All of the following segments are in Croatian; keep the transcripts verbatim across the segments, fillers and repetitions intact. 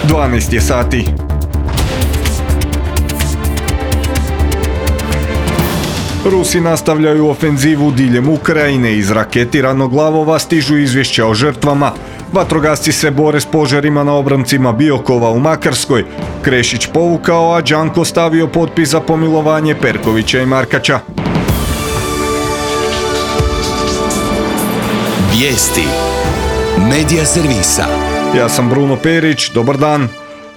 dvanaest je sati. Rusi nastavljaju ofenzivu diljem Ukrajine. Iz raketiranog Glavova stižu izvješća o žrtvama. Vatrogasci se bore s požarima na obroncima Biokova u Makarskoj. Krešić povukao, a Đanko stavio potpis za pomilovanje Perkovića i Markača. Vijesti Medija servisa. Ja sam Bruno Perić, dobar dan.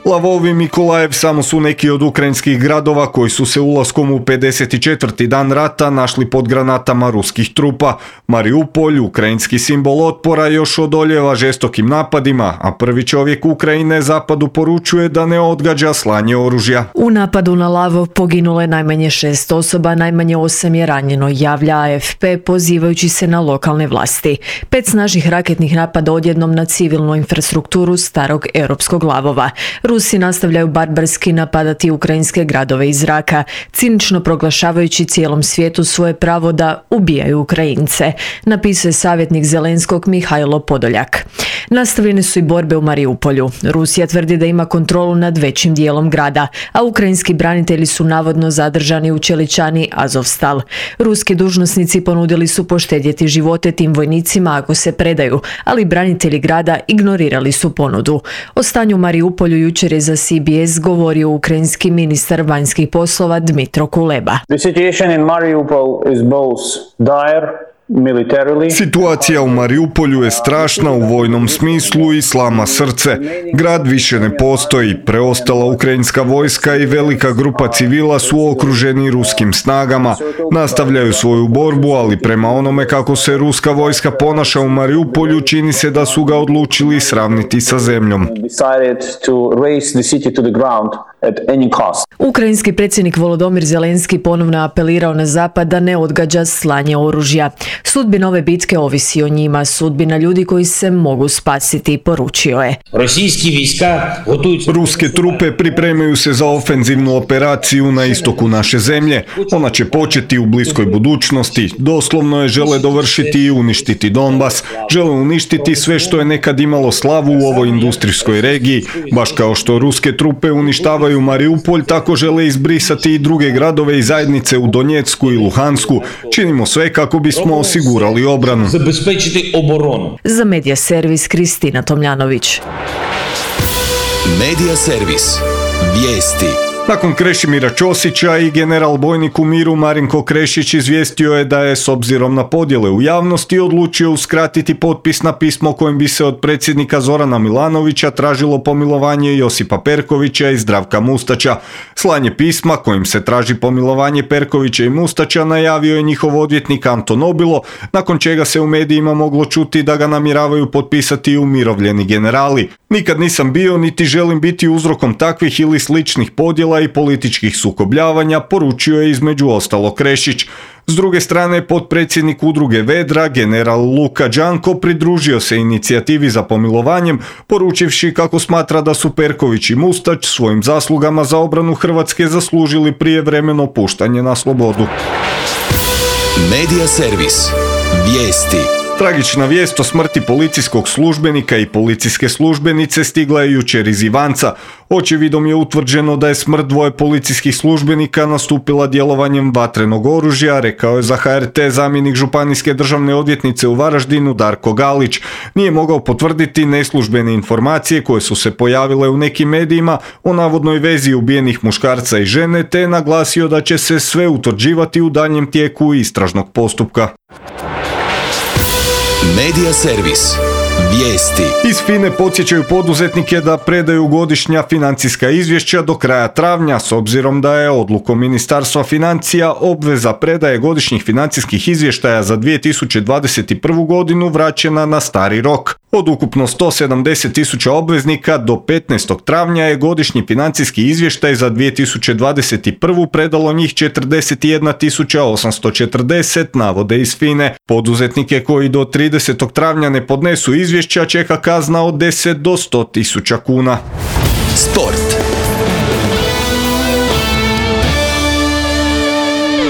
Lavov i Mikolajev samo su neki od ukrajinskih gradova koji su se ulaskom u pedeset četvrti dan rata našli pod granatama ruskih trupa. Mariupolj, ukrajinski simbol otpora, još odoljeva žestokim napadima, a prvi čovjek Ukrajine zapadu poručuje da ne odgađa slanje oružja. U napadu na Lavov poginulo je najmanje šest osoba, najmanje osam je ranjeno, javlja A F P pozivajući se na lokalne vlasti. Pet snažnih raketnih napada odjednom na civilnu infrastrukturu starog europskog Lavova. Rusi nastavljaju barbarski napadati ukrajinske gradove iz zraka, cinično proglašavajući cijelom svijetu svoje pravo da ubijaju Ukrajince, napisuje savjetnik Zelenskog Mihajlo Podoljak. Nastavljene su i borbe u Mariupolju. Rusija tvrdi da ima kontrolu nad većim dijelom grada, a ukrajinski branitelji su navodno zadržani u čeličani Azovstal. Ruski dužnosnici ponudili su poštedjeti živote tim vojnicima ako se predaju, ali branitelji grada ignorirali su ponudu. O stanju u Mariupolju jučer je za C B S govorio ukrajinski ministar vanjskih poslova Dmitro Kuleba. The situation in Mariupol is both dire. Situacija u Mariupolju je strašna u vojnom smislu i slama srce. Grad više ne postoji, preostala ukrajinska vojska i velika grupa civila su okruženi ruskim snagama. Nastavljaju svoju borbu, ali prema onome kako se ruska vojska ponaša u Mariupolju, čini se da su ga odlučili sravniti sa zemljom. Ukrajinski predsjednik Volodymyr Zelenski ponovno je apelirao na zapad da ne odgađa slanje oružja. Sudbina ove bitke ovisi o njima, sudbina ljudi koji se mogu spasiti, poručio je. Ruske trupe pripremaju se za ofenzivnu operaciju na istoku naše zemlje. Ona će početi u bliskoj budućnosti. Doslovno je žele dovršiti i uništiti Donbas. Žele uništiti sve što je nekad imalo slavu u ovoj industrijskoj regiji. Baš kao što ruske trupe uništavaju Mariupolj, tako žele izbrisati i druge gradove i zajednice u Donjecku i Luhansku. Činimo sve kako bismo osigurali obranu. Za Medija servis Kristina Tomljanović. Medija servis. Vijesti. Nakon Krešimira Ćosića i general bojnik u miru Marinko Krešić izvijestio je da je s obzirom na podjele u javnosti odlučio uskratiti potpis na pismo kojim bi se od predsjednika Zorana Milanovića tražilo pomilovanje Josipa Perkovića i Zdravka Mustača. Slanje pisma kojim se traži pomilovanje Perkovića i Mustača najavio je njihov odvjetnik Anto Nobilo, nakon čega se u medijima moglo čuti da ga namjeravaju potpisati umirovljeni generali. Nikad nisam bio niti želim biti uzrokom takvih ili sličnih podjela i političkih sukobljavanja, poručio je između ostalo Krešić. S druge strane, potpredsjednik udruge Vedra, general Luka Đanko, pridružio se inicijativi za pomilovanjem, poručivši kako smatra da su Perković i Mustač svojim zaslugama za obranu Hrvatske zaslužili prijevremeno puštanje na slobodu. Medija servis. Vijesti. Tragična vijest o smrti policijskog službenika i policijske službenice stigla je jučer iz Ivanca. Očevidom je utvrđeno da je smrt dvoje policijskih službenika nastupila djelovanjem vatrenog oružja, rekao je za H R T zamjenik županijske državne odvjetnice u Varaždinu Darko Galić. Nije mogao potvrditi neslužbene informacije koje su se pojavile u nekim medijima o navodnoj vezi ubijenih muškarca i žene, te je naglasio da će se sve utvrđivati u daljnjem tijeku istražnog postupka. Medija servis. Vijesti. Iz FINE podsjećaju poduzetnike da predaju godišnja financijska izvješća do kraja travnja, s obzirom da je odlukom Ministarstva financija obveza predaje godišnjih financijskih izvještaja za dvije tisuće dvadeset prvu godinu vraćena na stari rok. Od ukupno sto sedamdeset tisuća obveznika do petnaestog travnja je godišnji financijski izvještaj za dvije tisuće dvadeset prvu predalo njih četrdeset jedna tisuća osamsto četrdeset, navode iz FINE. Poduzetnike koji do tridesetog travnja ne podnesu izvješća čeka kazna od deset do sto tisuća kuna. Sport.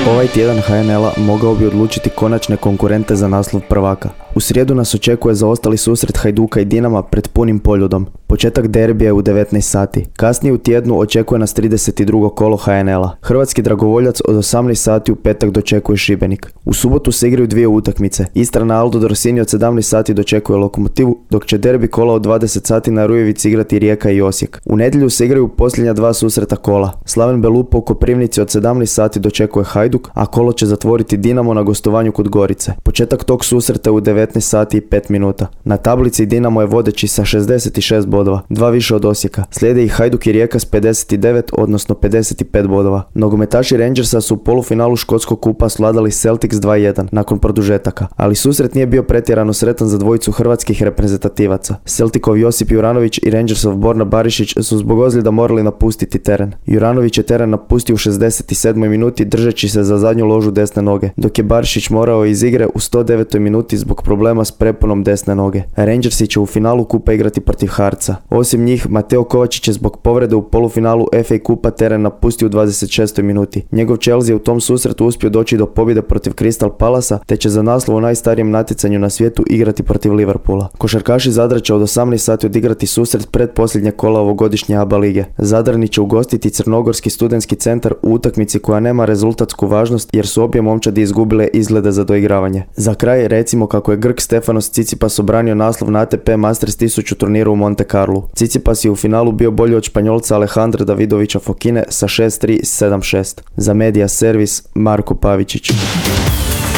Ovaj tjedan H N L-a mogao bi odlučiti konačne konkurente za naslov prvaka. U srijedu nas očekuje zaostali susret Hajduka i Dinama pred punim Poljudom. Početak derbija je u devetnaest sati. Kasnije u tjednu očekuje nas trideset drugo kolo ha en el a. Hrvatski dragovoljac od osamnaest sati u petak dočekuje Šibenik. U subotu se igraju dvije utakmice. Istra na Aldo Dorsini od sedamnaest sati dočekuje Lokomotivu, dok će derbi kola od dvadeset sati na Rujevici igrati Rijeka i Osijek. U nedjelju se igraju posljednja dva susreta kola. Slaven Belupo u Koprivnici od sedamnaest sati dočekuje Hajduk, a kolo će zatvoriti Dinamo na gostovanju kod Gorice. Početak tog susreta u devetnaest sati i pet minuta. Na tablici Dinamo je vodeći sa šezdeset šest bodova, dva više od Osijeka. Slijede i Hajduk i Rijeka s pedeset devet, odnosno pedeset pet bodova. Nogometaši Rangersa su u polufinalu škotskog kupa svladali Celtics dva jedan nakon produžetaka, ali susret nije bio pretjerano sretan za dvojicu hrvatskih reprezentativaca. Celticov Josip Juranović i Rangersov Borna Barišić su zbog ozljeda morali napustiti teren. Juranović je teren napustio u šezdeset sedmoj minuti držeći se za zadnju ložu desne noge, dok je Barišić morao iz igre u sto devetoj minuti zbog problema s preponom desne noge. Rangersi će u finalu kupa igrati protiv Harca. Osim njih, Mateo Kovačić je zbog povrede u polufinalu ef ej kupa teren napustio u dvadeset šestoj minuti. Njegov Chelsea je u tom susretu uspio doći do pobjede protiv Crystal Palasa, te će za naslov u najstarijem natjecanju na svijetu igrati protiv Liverpoola. Košarkaši Zadra će od osamnaest sati odigrati susret pred posljednje kola ovogodišnje A B A lige. Zadrani će ugostiti Crnogorski studentski centar u utakmici koja nema rezultatsku važnost jer su obje momčadi izgubile izglede za doigravanje. Za kraj recimo kako je Grk Stefanos Tsitsipas obranio naslov na A T P Masters tisuću turniru u Monte Carlu. Tsitsipas je u finalu bio bolji od Španjolca Alejandra Davidovića Fokine sa šest tri sedam šest. Za Media Servis Marko Pavičić.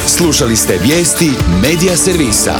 Slušali ste vijesti Media Servisa.